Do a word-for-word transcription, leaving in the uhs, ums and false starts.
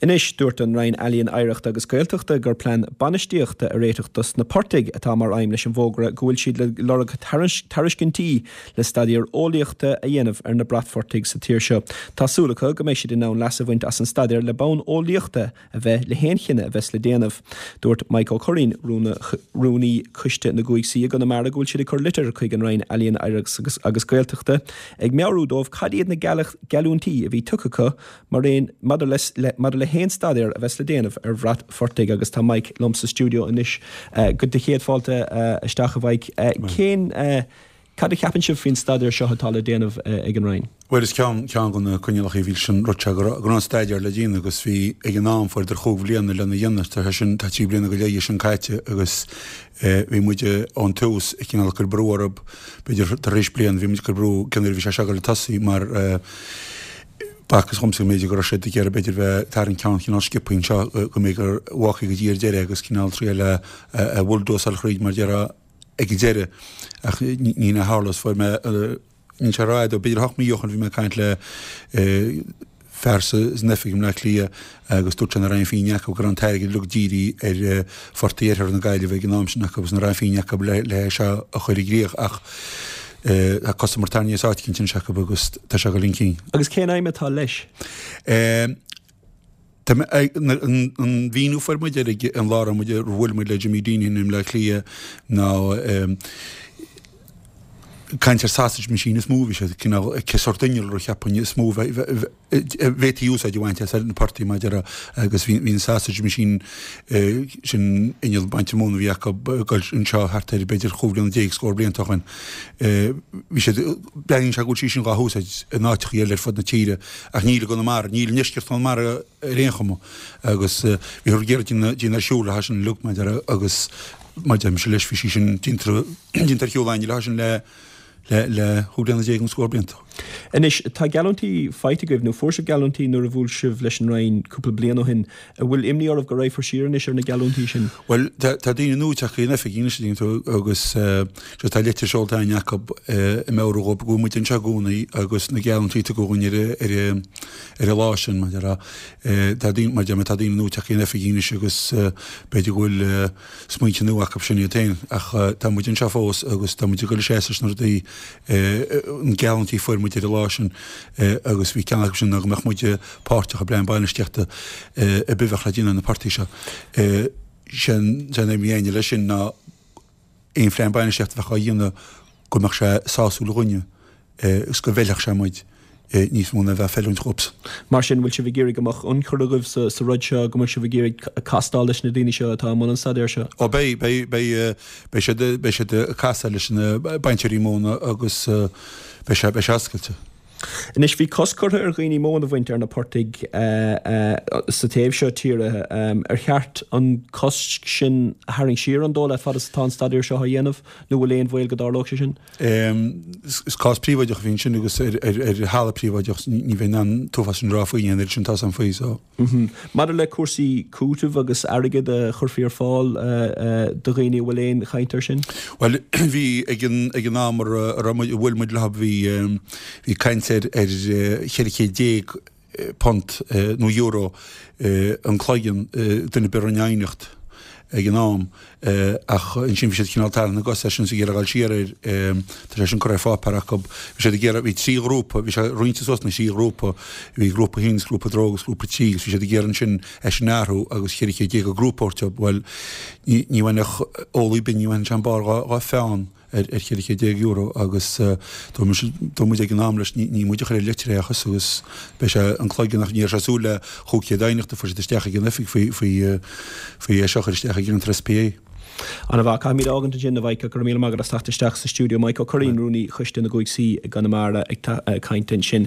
Anois, dúirt an Roinn Ealaíon Oidhreachta agus Gaeltachta gur plean bainistíochta a réiteach dos na portaigh atá mar aidhm leis an bhfógra go bhfuil siad le lorg tairiscintí le staidéar eolaíochta a dhéanamh ar na bratphortaigh sa tír seo. Tá súil acu go mbeidh siad in ann leas a bhaint as an staidéar le bonn eolaíochta a bheith le haon chinneadh a bheas le déanamh. Dúirt Mike Ó Curraoin, rúnaí Coiste na gCúig C i gConamara go bhfuil siad ag cur litir chuig an Roinn Ealaíon Oidhreachta agus Gaeltachta ag meabhrú dóibh cad iad na geallúintí a bhí tugtha acu mar aon maidir le maidir le haon staidéar a bheas le déanamh ar bhratphortaigh agus tá Mike liom sa stiúideo anois go de chéad fáilte isteach a Mhike. Cén cad a cheapann sibh faoin staidéar seo atá le déanamh ag an Roinn? Bhuel is ceann ceann de na coinníollacha a bhí sin rud sé go raibh an staidéar le déanamh agus bhí ag an am fuaireadar chúig bhliana lena dhéanamh tá sin tá trí bliana go leith sin caite agus bhí muid ón tús ag cineál cur brú orthu b'fhéidir tar éis bliain bhí muid cur brú cén uair a bhí sé seo le tosaí mar b'fhacthas dhomsa go mb'fhéidir go raibh siad ag iarraidh b'fhéidir bheith tarraingt ceann cineál sciobtha anseo go mbeidh gur bhfágfaí go dtí ar deireadh agus cineál triail a a bhulldozáil thríd mar déarfá ag an deireadh ach ní ní a tharla is fuair mé níl sé rófhada b'fhéidir ocht mí ó shin bhí mé ag caint le fear san oifig i mBleá Cliath agus dúirt sé nach raibh aon phingin acu go raibh an t-airgead uilig dírithe ar phortaigh iarthar na Gaillimhe ag an am sin acu agus nach raibh aon phingin acu le le é seo a chur i gcrích ach tá cosa mór tarraingthe as áit eicínt anois acu agus tá sé ag dul chun cinn. Agus cén aidhm atá leis? Tá an mhíniú fuair muid ar an lá a raibh muid ar bhuail muid le Jimmy Deenihan i mBleá Cliath ná caint ar sausage machine is mó bhí sé cineál cé sórt innealra a cheapfainn is mó bhféadfaí úsáid a bhaint as ar na portaigh mar a déarfá agus bhí an sausage machine sin inneall bainte móna a bhí acu ag dul anseo thart ar b'fhéidir chúig bliana déag scór blianta ó shin. Bhí siad breathnaíonn sé go bhfuil sí sin dhá húsáid in áiteacha eile ar fud na tíre ach níl i gConamara, níl i ndeisceart Chonamara ar aon chuma agus bhíothar ag iarraidh déanamh ar siúl le sin uilig mar a déarfá agus mar deirimse leis bhí sí sin déanta ar shiúl againne le sin le le le chúig bliana déag nó scór blianta. Anois, tá geallúintí faighte agaibh, nó fuair sibh geallúintí nuair a bhuail sibh leis an Roinn cúpla bliain ó shin. An bhfuil imní oraibh go raghfar siar anois ar na geallúintí sin? Bhuel, tá tá daoine nua tagtha in oifig anois a tú agus uh, tá litir seolta againn acu uh, ag meabhrú dhóibh go bhfuil muid anseo i gcónaí agus na geallúintí a tugadh dhúinn ar ar ar an lá sin mar a uh, tá daoine mar deir tá daoine nua tagtha in oifig anois agus uh, b'fhéidir go bhfuil uh, smaointe nua acu sin iad féin ach uh, tá muid anseo fós agus tá muid ag dul seasamh leis na rudaí an geallúintí fuair muid ar an lá sin agus bhí ceann acu sin ná go mbeadh muid páirteach i bplean bainistíochta ar bith a bheadh le déanamh ar na portaigh seo. Sin an aidhm a bhí leis sin ná aon phlean bainistíochta a bheadh á dhéanamh go mbeadh sé sásúil dhúinne agus go bhfeilfeadh sé muid níos mó ná bheith feiliúint dhóibhsan. Mar sin bhfuil sibh ag iarraidh go mbeadh ionchur agaibh sa, sa rud seo, go mbeadh sibh ag iarraidh castáil leis na daoine seo atá i mbun an staidéir seo? Ó beidh, beidh, beidh, beidh siad, beidh siad ag casadh leis na bainteoirí móna agus beidh sé, beidh sé oscailte. Anois bhí cosc curtha ar dhaoine móin a bhaint ar na portaigh sa taobh seo tíre. Ar cheart an cosc sin a tharraingt siar an dóigh leat fad is atá an staidéar seo á dhéanamh nó bhfuil aon bhaol go dtarlódh sé sin? Is cás príobháideach a bhí ansin agus ar thalamh príobháideach ní bheinn in ann an t-uafás sin a rá faoi, an oiread sin tá 'fhios a'm faoi so. Maidir le cúrsaí cúitimh agus airgead a chuirfí ar fáil do dhaoine, an bhfuil aon chaint air sin? Bhuel bhí ag an ag an am a raibh muid a bhuail muid leo bhí bhí caint ar ar cheithre chéad déag punt nó euro an cloigeann duine ar bith a rinne aighneacht ag an am ach ansin bhí siad cineál tarraingt na gcos air sin is ag iarraidh dul siar air. Tá sé sin curtha ar pháipéar acu. Bhí siad ag iarraidh, bhí trí ghrúpa, bhí sé roinnte suas ina thrí ghrúpa, bhí grúpa a haon agus grúpa a dó agus grúpa a trí agus bhí siad ag iarraidh ansin é sin a athrú agus cheithre chéad déag an grúpa a thabhairt dóibh. Bhuel ní ní bhainfeadh eolaí binn, ní bhainfeadh sé an barr dhá dhá pheann. ar cheithre chéad déag euro agus dúirt muid ag an am leis ní muid a chuir an litir é ach agus beidh sé an cloigeann ach ní raibh sé ag súil le chúig chéad aighneacht a fuair siad isteach ag an oifig faoi faoi faoi é seo a chur isteach ag an SPA. Ana mhaith. Caithfimid a fhágaint ansin a Mhaidhc ach go raibh míle maith agat as teacht isteach sa stiúideo. Mike Ó Curraoin, Rúnaí Choiste na gCúig C i gConamara ag caint ansin.